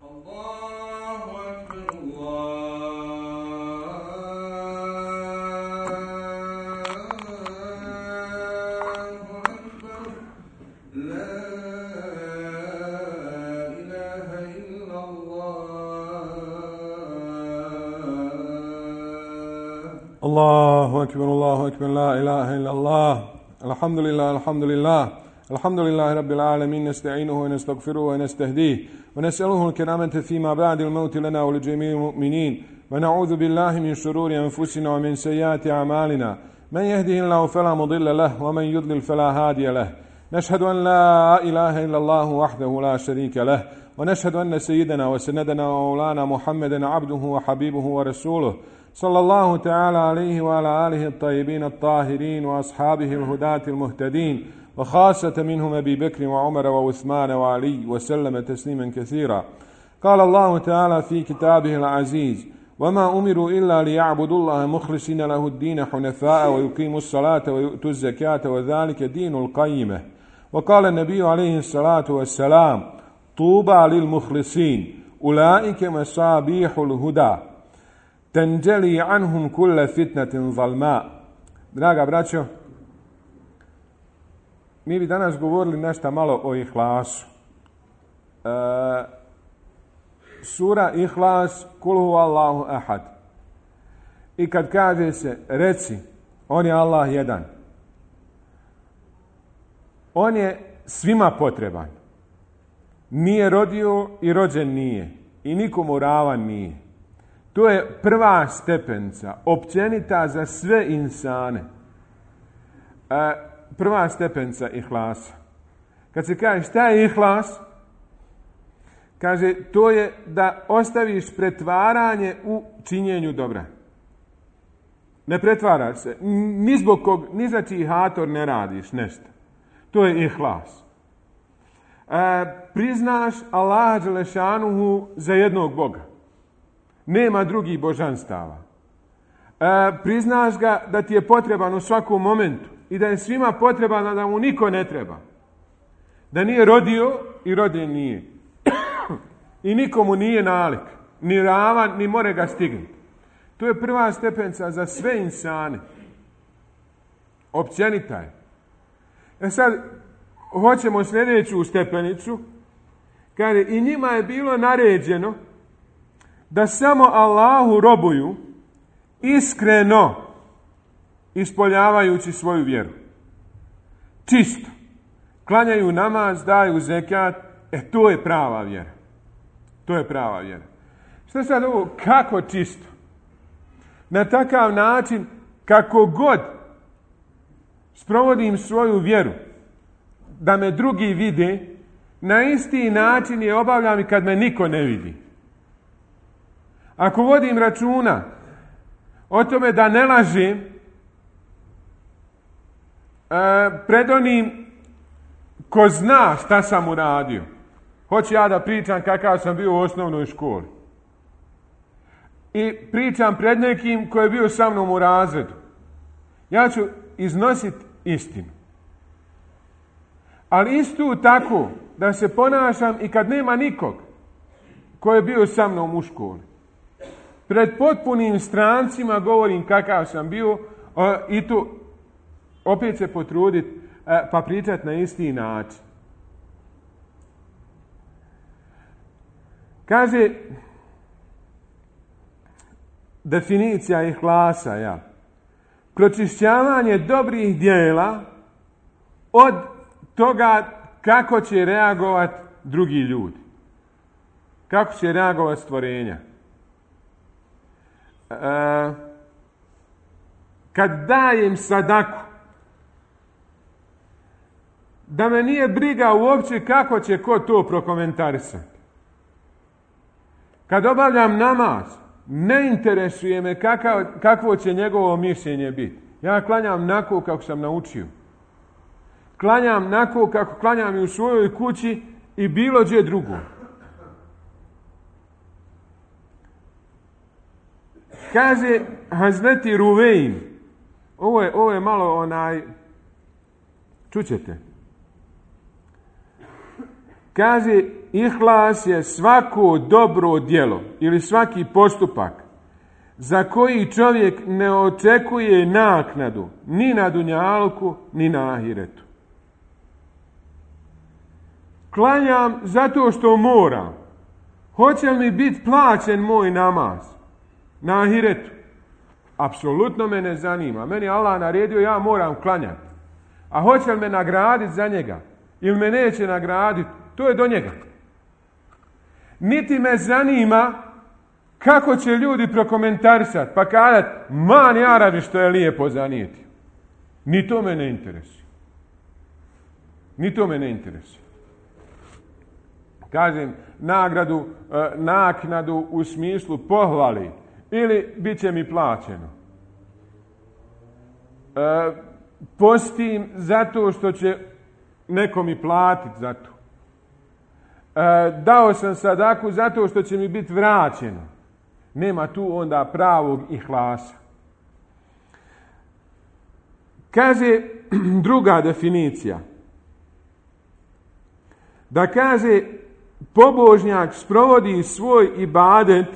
الله أكبر الله أكبر لا إله إلا الله الحمد لله الحمد لله الحمد لله رب العالمين نستعينه ونستغفره ونستهديه ونسأله الكرامة فيما بعد الموت لنا ولجميع المؤمنين ونعوذ بالله من شرور أنفسنا ومن سيئات أعمالنا من يهده الله فلا مضل له ومن يضلل فلا هادي له نشهد أن لا إله إلا الله وحده لا شريك له ونشهد أن سيدنا وسندنا ومولانا محمدا عبده وحبيبه ورسوله صلى الله تعالى عليه وعلى آله الطيبين الطاهرين وأصحابه الهداة المهتدين وخاصة منهم أبي بكر وعمر وعثمان وعلي وسلم تسليما كثيرا. قال الله تعالى في كتابه العزيز وما أمروا إلا ليعبدوا الله مخلصين له الدين حنفاء ويقيموا الصلاة ويؤتوا الزكاة وذلك دين القيمة. وقال النبي عليه الصلاة والسلام طوبى للمخلصين أولئك مصابيح الهدى تنجلي عنهم كل فتنة ظلماء. Draga braćo, mi bi danas govorili nešto malo o Ihlasu. Sura Ihlas, Kul huvallahu ahad. I kad kaže se, reci, on je Allah jedan. On je svima potreban. Nije rodio i rođen nije. I nikomu ravan nije. To je prva stepenca, općenita za sve insane. Prva stepenca Ihlasa. Kad se kaže šta je Ihlas, kaže to je da ostaviš pretvaranje u činjenju dobra. Ne pretvaraš se, ni zbog kog, ni za čiji hator ne radiš nešto. To je Ihlas. Priznaš Allaha dželešanuhu za jednog Boga. Nema drugih božanstava. Priznaš ga da ti je potreban u svakom momentu i da je svima potreban, da mu niko ne treba. Da nije rodio i rođen nije. I nikomu nije nalik, ni ravan, ni more ga stignuti. To je prva stepenca za sve insane. Općenita je. Sad, hoćemo sljedeću stepenicu. Kaže, i njima je bilo naređeno da samo Allahu robuju iskreno ispoljavajući svoju vjeru. Čisto. Klanjaju namaz, daju zekat. To je prava vjera. To je prava vjera. Što sad ovo? Kako čisto? Na takav način kako god sprovodim svoju vjeru da me drugi vide, na isti način je obavljam i kad me niko ne vidi. Ako vodim računa o tome da ne lažem pred onim ko zna šta sam uradio. Hoću ja da pričam kakav sam bio u osnovnoj školi. I pričam pred nekim ko je bio sa mnom u razredu. Ja ću iznositi istinu. Ali isto tako da se ponašam i kad nema nikog ko je bio sa mnom u školi. Pred potpunim strancima govorim kakav sam bio i tu opet se potruditi pa pričati na isti način. Kaže definicija Ihlasa, pročišćavanje dobrih djela od toga kako će reagovati drugi ljudi. Kako će reagovati stvorenja. Kad dajem sadaku, da me nije briga uopće kako će ko to prokomentarisati. Kad obavljam namaz, ne interesuje me kakvo će njegovo mišljenje biti. Ja klanjam nako kako sam naučio. Klanjam nako kako klanjam i u svojoj kući i bilo gdje drugo. Kaže Hazreti Ruvein, ovo je malo čućete. Kaže, ihlas je svako dobro djelo ili svaki postupak za koji čovjek ne očekuje naknadu ni na dunjalku, ni na ahiretu. Klanjam zato što moram. Hoće li mi biti plaćen moj namaz na ahiretu? Apsolutno me ne zanima. Meni Allah naredio, ja moram klanjati. A hoće li me nagraditi za njega? Ili me neće nagraditi? To je do njega. Niti me zanima kako će ljudi prokomentarisati, pa kazati, man jarabi što je lijepo zanijeti. Ni to me ne interesuje. Ni to me ne interesuje. Kažem, naknadu u smislu pohvali ili bit će mi plaćeno. Postim zato što će neko mi platiti za to. Dao sam sadaku zato što će mi biti vraćeno. Nema tu onda pravog ihlasa. Kaže druga definicija. Da kaže, pobožnjak sprovodi svoj ibadet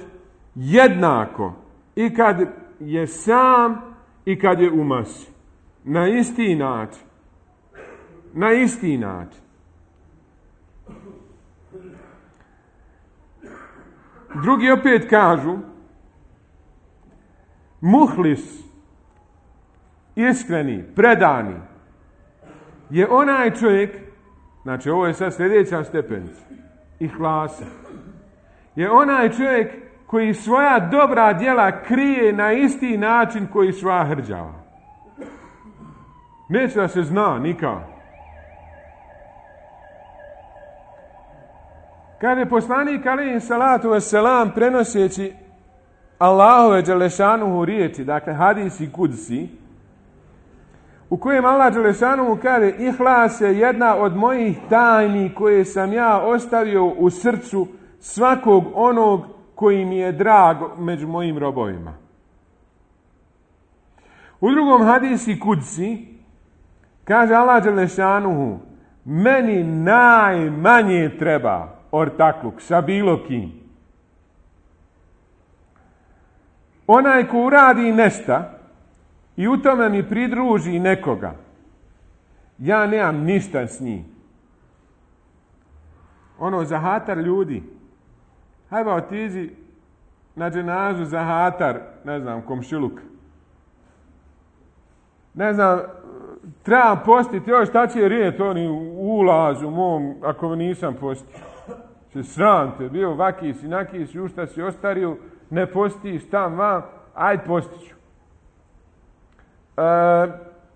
jednako i kad je sam i kad je u masi. Na isti način. Na isti način. Drugi opet kažu, muhlis, iskreni, predani, je onaj čovjek, znači ovo je sad sljedeća stepenica, ihlasa, je onaj čovjek koji svoja dobra djela krije na isti način koji svoja hrđava. Neće da se zna nikako. Kaže poslanik alejhi salatu vesselam prenoseći Allahove dželešanuhu riječi, dakle hadisi kudsi, u kojem Allah dželešanuhu kaže, ihlas je jedna od mojih tajni koje sam ja ostavio u srcu svakog onog koji mi je drag među mojim robovima. U drugom hadisi kudsi kaže Allah dželešanuhu, meni najmanje treba ortakluk sa bilo kim. Onaj ko uradi nešta i u tome mi pridruži nekoga, ja nemam ništa s njim. Ono zahatar ljudi. Hajde otiđi na dženazu zahatar, ne znam, komšiluk. Ne znam, trebam postiti, još šta će rijeti oni u ulazu mom, ako nisam postio. Se sram te, bio vakis i nakis, u šta si ostario, ne postiš tam vam, ajde postiću.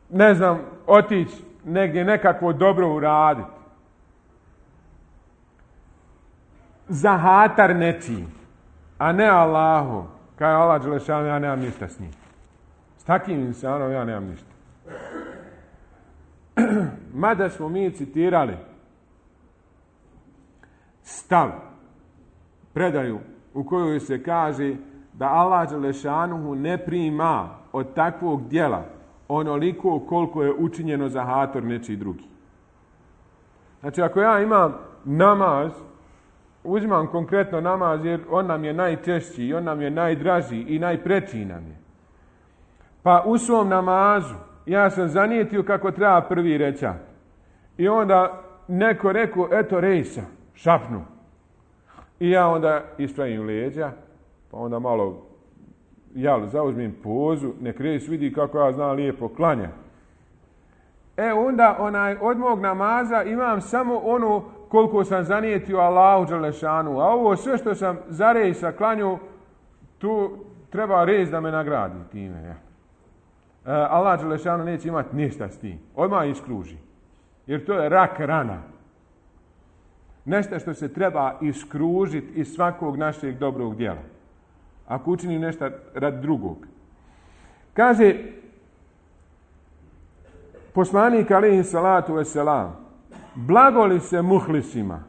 Ne znam, otići negdje nekako dobro uraditi. Zahatar nečiji, a ne Allahu. Kao je Allah dželešanu, ja nemam ništa s njim. S takim insanom ja nemam ništa. Mada smo mi citirali stav, predaju u kojoj se kaže da Allah dželešanuhu ne prima od takvog djela onoliko koliko je učinjeno za hator nečiji drugi. Znači, ako ja imam namaz, uzimam konkretno namaz jer on nam je najčešći i on nam je najdraži i najpreći nam je. Pa u svom namazu ja sam zanijetio kako treba prvi rećat. I onda neko rekao, eto rejsa, šapnu. I ja onda ispravim leđa, pa onda malo zauzmem pozu, nek rejs vidi kako ja znam lijepo klanja. Onda od mog namaza imam samo ono koliko sam zanijetio Allahu dželešanu. A ovo sve što sam za rejsa klanju, tu treba rejs da me nagradi time. Ja. Allah dželešanu neće imati ništa s tim. Odmah iskruži. Jer to je rak rana. Nešto što se treba iskružiti iz svakog našeg dobrog djela. Ako učini nešto radi drugog. Kaže poslanik alejhi salatu vesselam, blagoli se muhlisima.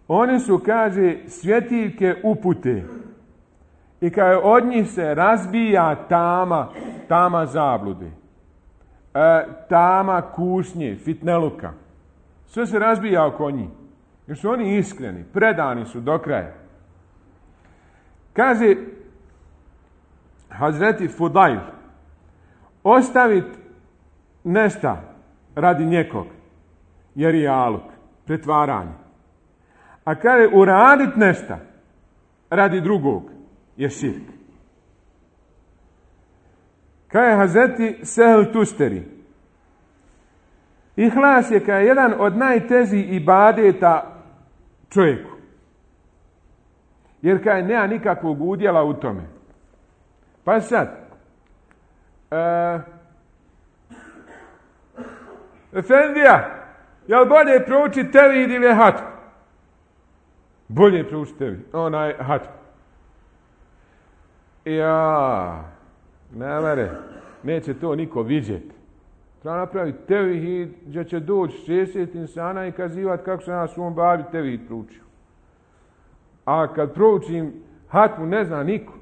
Oni su, kaže, svjetiljke upute. I kaže, od njih se razbija tama zablude. Tama kušnje, fitneluka. Sve se razbija oko njih. Jer su oni iskreni, predani su do kraja. Kaže Hazreti Fudajl, ostaviti nešto radi nekog je rijaluk, pretvaranje. A kaže uraditi nešto radi drugog je širk. Kaže Hazreti Sehl Tusteri, ihlas je kao jedan od najtežih ibadeta čovjeku. Jer kaj nema nikakvog udjela u tome. Pa sad, Efendija, jel bolje proučiti tevhid ili hatmu? Bolje proučiti tevhid, onaj hatmu. Ja, ne mere, neće to niko vidjeti. Treba napraviti tevhid gdje će doći 60 insana i kazivati kako sam ja svom babi tevhid proučio. A kad proučim hatmu ne zna niko.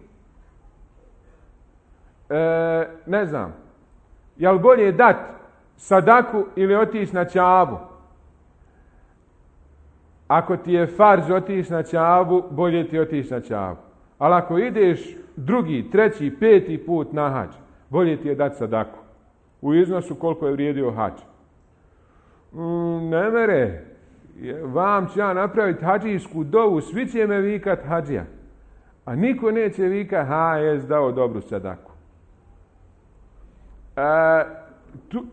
Ne znam, jel bolje dat sadaku ili otići na Čabu? Ako ti je farz otići na Čabu, bolje ti otići na Čabu. Ali ako ideš drugi, treći, peti put na hadž, bolje ti je dati sadaku. U iznosu koliko je vrijedio hadž. Ne mere, vam ću ja napraviti hadžijsku dovu, svi će me vikat hadžija. A niko neće vikat, jes dao dobru sadaku.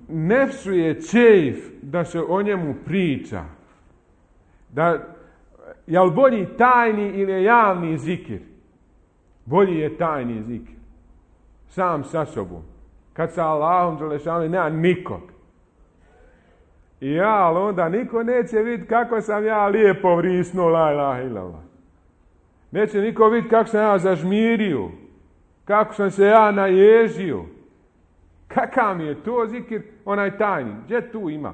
Nefsu je čeif da se o njemu priča. Jel bolji tajni ili javni zikir? Bolji je tajni zikir. Sam sa sobom. Kad sa Allahom Đelešanu nema nikog. Ali onda niko neće vidjeti kako sam ja lijepo vrisnuo la ilaha illallah. Neće niko vidjeti kako sam ja zažmirio. Kako sam se ja naježio. Kakav mi je to zikir, onaj tajni? Gdje tu ima?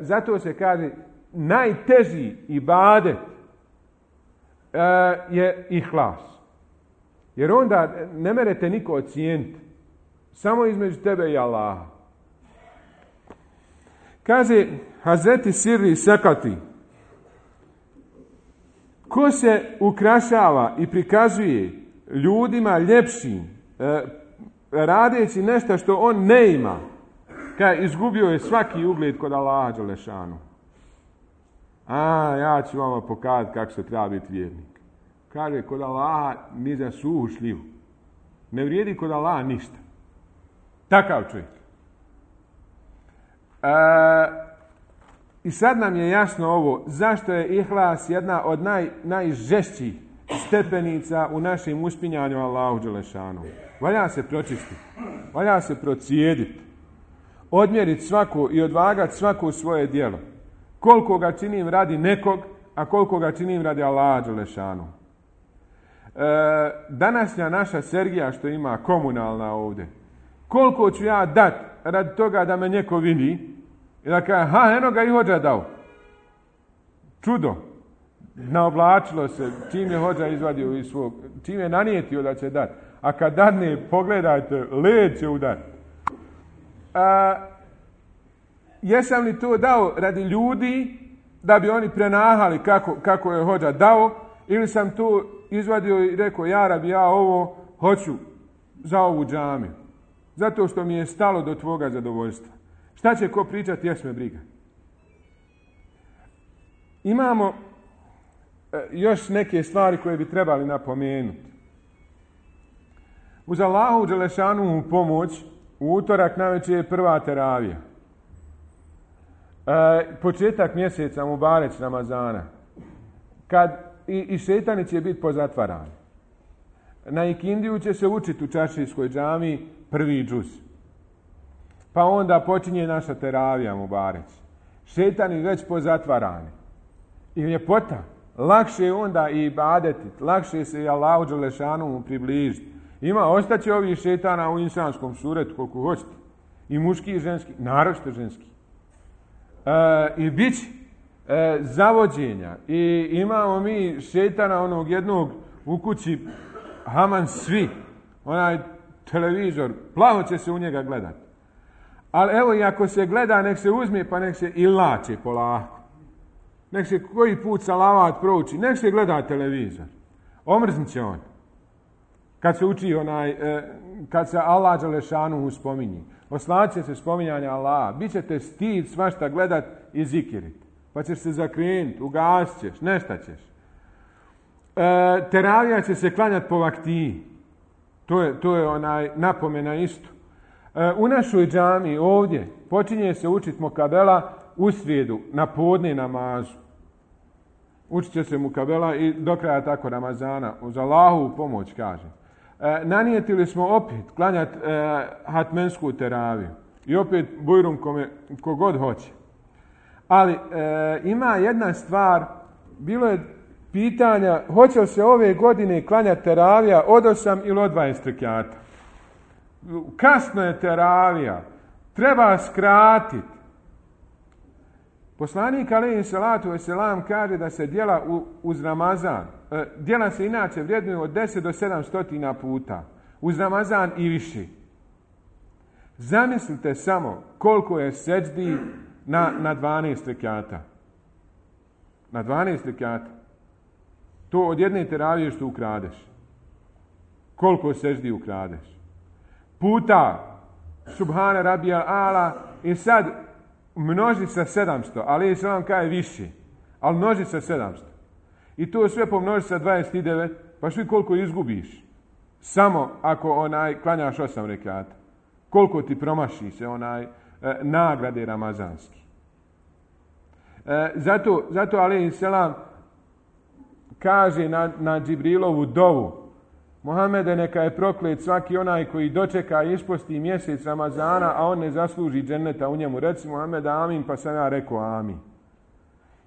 Zato se kaže, najteži ibadet je ihlas. Jer onda ne merete niko ocijeniti. Samo između tebe i Allaha. Kaže Hazreti Sirri Sekati, ko se ukrašava i prikazuje ljudima ljepšim, radeći nešto što on ne ima, kaj izgubio je svaki ugled kod Allaha Đelešanu. Ja ću vama pokazati kako se treba biti vjernik. Kaže, kod Allaha ni za suhu šljivu. Ne vrijedi kod Allaha ništa. Takav čovjek. I sad nam je jasno ovo, zašto je ihlas jedna od najžešćih stepenica u našem uspinjanju Allahu Đelešanu. Valja se pročistiti, valja se procijediti, odmjeriti svako i odvagati svako svoje djelo. Koliko ga činim radi nekog, a koliko ga činim radi Allaha Đelešanu. Današnja naša Sergija što ima komunalna ovdje, koliko ću ja dat radi toga da me neko vidi i da kaže, eno ga i hođa dao. Čudo. Naoblačilo se, čim je hođa izvadio iz svog, čim je nanijetio da će dati. A kad dadne, pogledajte, led će udati. Jesam li to dao radi ljudi da bi oni prenahali kako je hođa dao, ili sam to izvadio i rekao, ja rabi, ja ovo hoću za ovu džamiju. Zato što mi je stalo do tvoga zadovoljstva. Šta će ko pričati, jes me briga. Imamo još neke stvari koje bi trebali napomenuti. Uz Allahu Đelešanu pomoć, u utorak navečer je prva teravija. Početak mjeseca Mubareć Ramazana. Kad i šetani će biti pozatvarani. Na ikindiju će se učiti u čaršijskoj džamiji prvi džuz. Pa onda počinje naša teravija Mubareć. Šetani već pozatvarani. I ljepota. Lakše je onda i ibadetiti. Lakše se i Allahu Đelešanu približiti. Ostaće ovih šetana u insanskom suretu koliko hoćete. I muški i ženski. Naročito ženski. I bit će zavođenja. I imamo mi šetana onog jednog u kući Haman svi. Onaj televizor. Plavo će se u njega gledati. Ali evo i ako se gleda, nek se uzme pa nek se ilače polako. nek se koji put salavat prouči, nek se gleda televizor. Omrznit će on. Kad se uči kad se Allah dželešanuhu spominje. Oslat će se spominjanja Allaha. Biće te stid svašta gledat i zikirit. Pa ćeš se zakrenuti, ugasit ćeš, nešta ćeš. Teravija će se klanjati po vaktiji. To je napomena isto. U našoj džamiji ovdje počinje se učiti mukabela u srijedu, na podne namazu. Učit će se mukabela i do kraja tako Ramazana. Uz Allahovu pomoć, kažem. Nanijetili smo opet klanjati hatmensku teraviju. I opet bujrum kogod hoće. Ali ima jedna stvar, bilo je pitanja, hoće li se ove godine klanjati teravija od 8 ili od 20 rekjata? Kasno je teravija, treba skratiti. Poslanik alejhi salatu vesselam kaže da se djela uz Ramazan, djela se inače vrijednuju od 10 do 700 puta, uz Ramazan i više. Zamislite samo koliko je seđdi na 12 rekjata. Na 12 rekjata. To od jedne teravije što ukradeš. Koliko seđdi ukradeš. Puta Subhana Rabijal Ala i sad množi sa 700, ali se vam kaže više, ali množi sa 700. I to sve pomnoži sa 29, pa što koliko izgubiš? Samo ako klanjaš 8 rekata. Koliko ti promaši se nagrade ramazanski. Zato alejhi selam kaže na Džibrilovu dovu: Muhammede, neka je proklet svaki onaj koji dočeka i isposti mjesec Ramazana, a on ne zasluži dženneta u njemu. Reci Muhammed amin, pa sam ja rekao amin.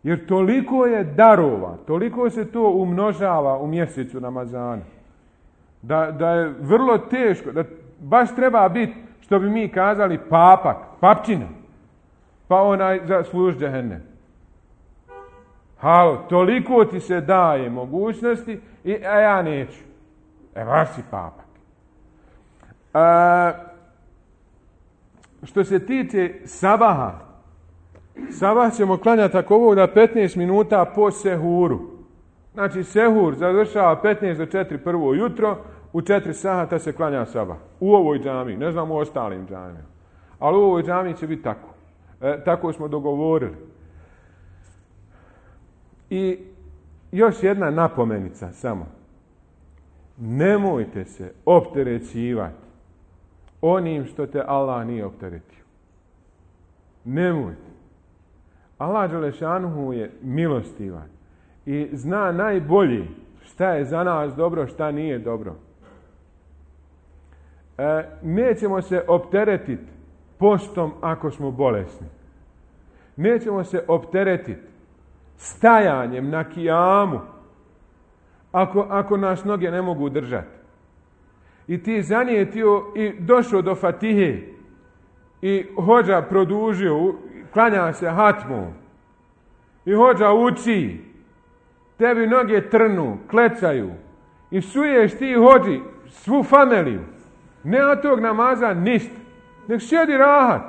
Jer toliko je darova, toliko se to umnožava u mjesecu Ramazana, da je vrlo teško, da baš treba biti, što bi mi kazali, papak, papčina, pa zasluži džehennem. Halo, toliko ti se daje mogućnosti, a ja neću. Baš si papak. Što se tiče sabaha, sabah ćemo klanjati ako ovo da 15 minuta po sehuru. Znači sehur završava 15 do 4 prvo jutro, u 4 sata se klanja sabah. U ovoj džamiji, ne znam u ostalim džamijama. Ali u ovoj džamiji će biti tako. Tako smo dogovorili. I još jedna napomenica samo. Nemojte se opterećivati onim što te Allah nije opteretio. Nemojte. Allah dželešanuhu je milostivan i zna najbolje šta je za nas dobro, šta nije dobro. Nećemo se opteretiti postom ako smo bolesni. Nećemo se opteretiti stajanjem na kijamu ako nas noge ne mogu držati. I ti zanijetio i došao do Fatihe i hođa produžio, klanja se hatmom i hođa uči, tebi noge trnu, klecaju i suješ ti hođi svu familiju. Nema tog namaza ništa. Nek sjedi rahat.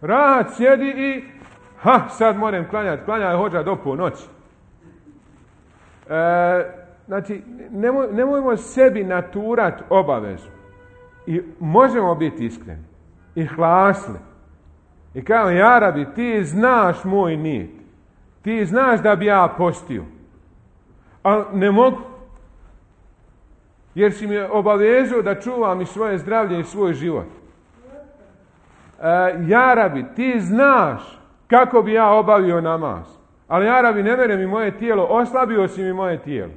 Rahat sjedi i sad moram klanjati. Klanjaj hođa do ponoći. Znači, nemojmo sebi naturati obavezu. I možemo biti iskreni. I hlasni. I kao, ja Rabi, ti znaš moj nijet. Ti znaš da bi ja postio. Ali ne mogu. Jer si mi obavezao da čuvam i svoje zdravlje i svoj život. Ja Rabi, ti znaš kako bi ja obavio namaz. Ali ja Rabi, ne vjerujem mi moje tijelo, oslabio si mi moje tijelo.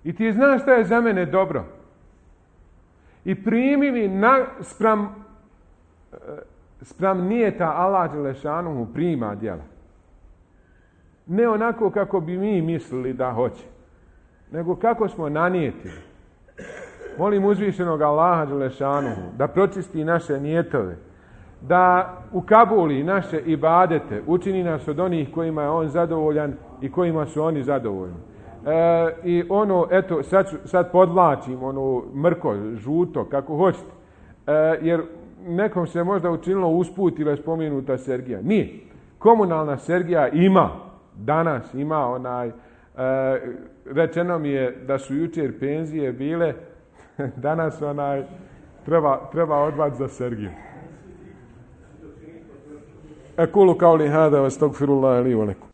I ti znaš šta je za mene dobro. I primi mi spram nijeta Allah dželešanuhu prima djela. Ne onako kako bi mi mislili da hoće, nego kako smo nanijetili. Molim uzvišenog Allaha dželešanuhu da pročisti naše nijetove, da ukabuli naše ibadete, učini nas od onih kojima je on zadovoljan i kojima su oni zadovoljni. I eto, sad podvlačim mrko, žuto, kako hoćete, jer nekom se možda učinilo usput ili spomenuta Sergija. Nije. Komunalna Sergija ima. Danas ima rečeno mi je da su jučer penzije bile, danas treba odvati za Sergiju. Ekulu kauli hada, wa astagfirullaha li wa lakum.